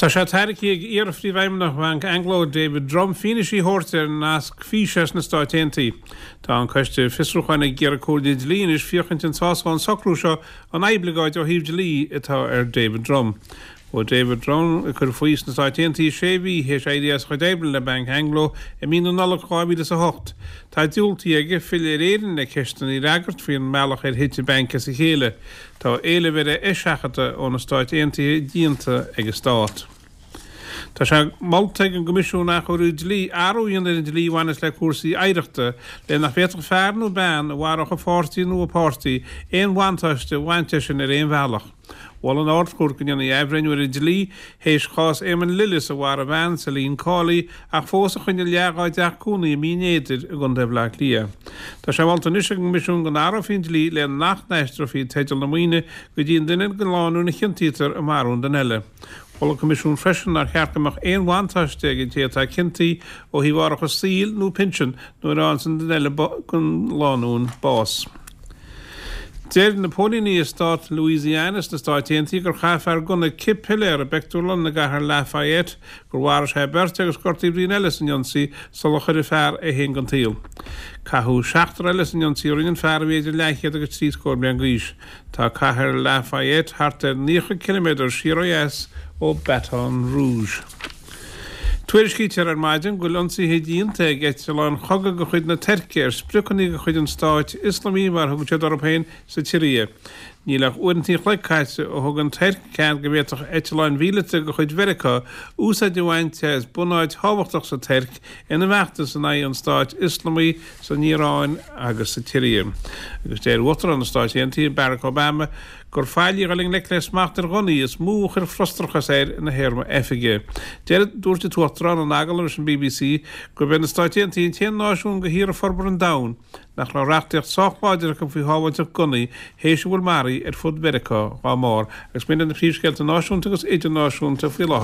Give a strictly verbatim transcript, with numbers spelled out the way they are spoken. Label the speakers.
Speaker 1: Tá sé tairgthe ag iar-phríomhfheidhmeannach Bhanc Anglo David Drumm fianaise a thabhairt ar nasc físe sna Stáit Aontaithe. Tá an coiste fiosrúcháin ag iarraidh comhairle dlí anois féachaint an sásódh an socrú seo an oibleagáid ó thaobh dlí atá ar David Drumm. Ó David Drumm ag cur faoi sna Stáit Aontaithe sé mhí théis éirí as a chuid oibre le Banc Anglo i mí na Nollag dhá mhíle is a hocht. Tá diúltaithe aige filleadh ar Éirinn le ceisteanna a fhreagairt faoin mbealach ar thit an banc as a chéile. Tá éileamh ar a eiseachadadh ó na Stáit Aontaithe déanta ag an Stát. Tá sé molta ag an gCoimisiún Athchóiriú Dlí athrú a dhéanamh ar an dlí a bhaineas le cúrsaí oidhreachta le nach bhféadfadh fear nó bean a mharódh a pháirtí nó a páirtí aon bhuntáiste a bhaint as sin ar aon bhealach. Mhol an Ard-Chúirt go ndéanfaí athbhreithniú ar an dlí théis chás Éamonn Lillis a mharaigh a bhean, Celine Cawley, ach fós a choinnigh leath dá dteach cónaí i mBinn Éadair i gContae Bhaile Átha Cliath. Tá sé molta anois ag an gCoimisiún go n-athrófaí an dlí le nach n-aistreofaí teideal na maoine go dtí an duine den lánúin a chiontaítear i marú an duine eile. Mhol an Coimisiún freisin nár cheart go mbeadh aon bhuntáiste ag an té atá ciontaithe ó thaobh árachas saoil nó pinsean nuair a fhaigheann an duine eile den lánúin bás. Deir na póilíní i stát Louisiana sna Stáit Aontaithe gur chaith fear gunna cith piléar i bpictiúrlann i gcathair Lafayette, gur mharaigh sé beirt agus gortaigh braon eile san ionsaí sular chuir an fear é féin den tsaol. Caitheadh seachtar eile san ionsaí a rinne an fear a bhí idir leathchéad agus trí scór bliain d'aois. Tá cathair Lafayette thart ar naocha ciliméadar siar ó dheas ó Baton Rouge. Tuairiscítear ar maidin go bhfuil ionsaithe déanta ag eitleáin chogaidh de chuid na Tuirce ar spriocanna de chuid an Stáit Ioslamaigh, mar a thugann siad orthu féin, sa tSiria. Níl ach uaireanta an chloig caite ó thug an Tuirc cead go bhféadfadh eitleáin mhíleata de chuid Mheiriceá úsáid a bhaint as bunáit thábhachtach sa Tuirc ina bhfeachtas in aghaidh an Stáit Ioslamaigh san Iaráin agus sa tSiria. Agus deir Uachtarán na Stáit Aontaithe, Barack Obama, gur faillí a dhul i ngleic le smacht ar ghunnaí is mó a chuir frustrachas air ina théarma oifige. Deir, dúirt an tUachtarán in agallamh leis an BBC gurb é na Stáit Aontaithe an t-aon náisiún de thíortha forbartha an domhain nach raibh reachtaíocht sách láidir acu faoi shábháilteacht gunnaí théis a bhfuil maraithe ar fud Mheiriceá dá mbarr agus b'in iad na príomhscéalta náisiúnta agus idirnáisiúnta faoi láthair.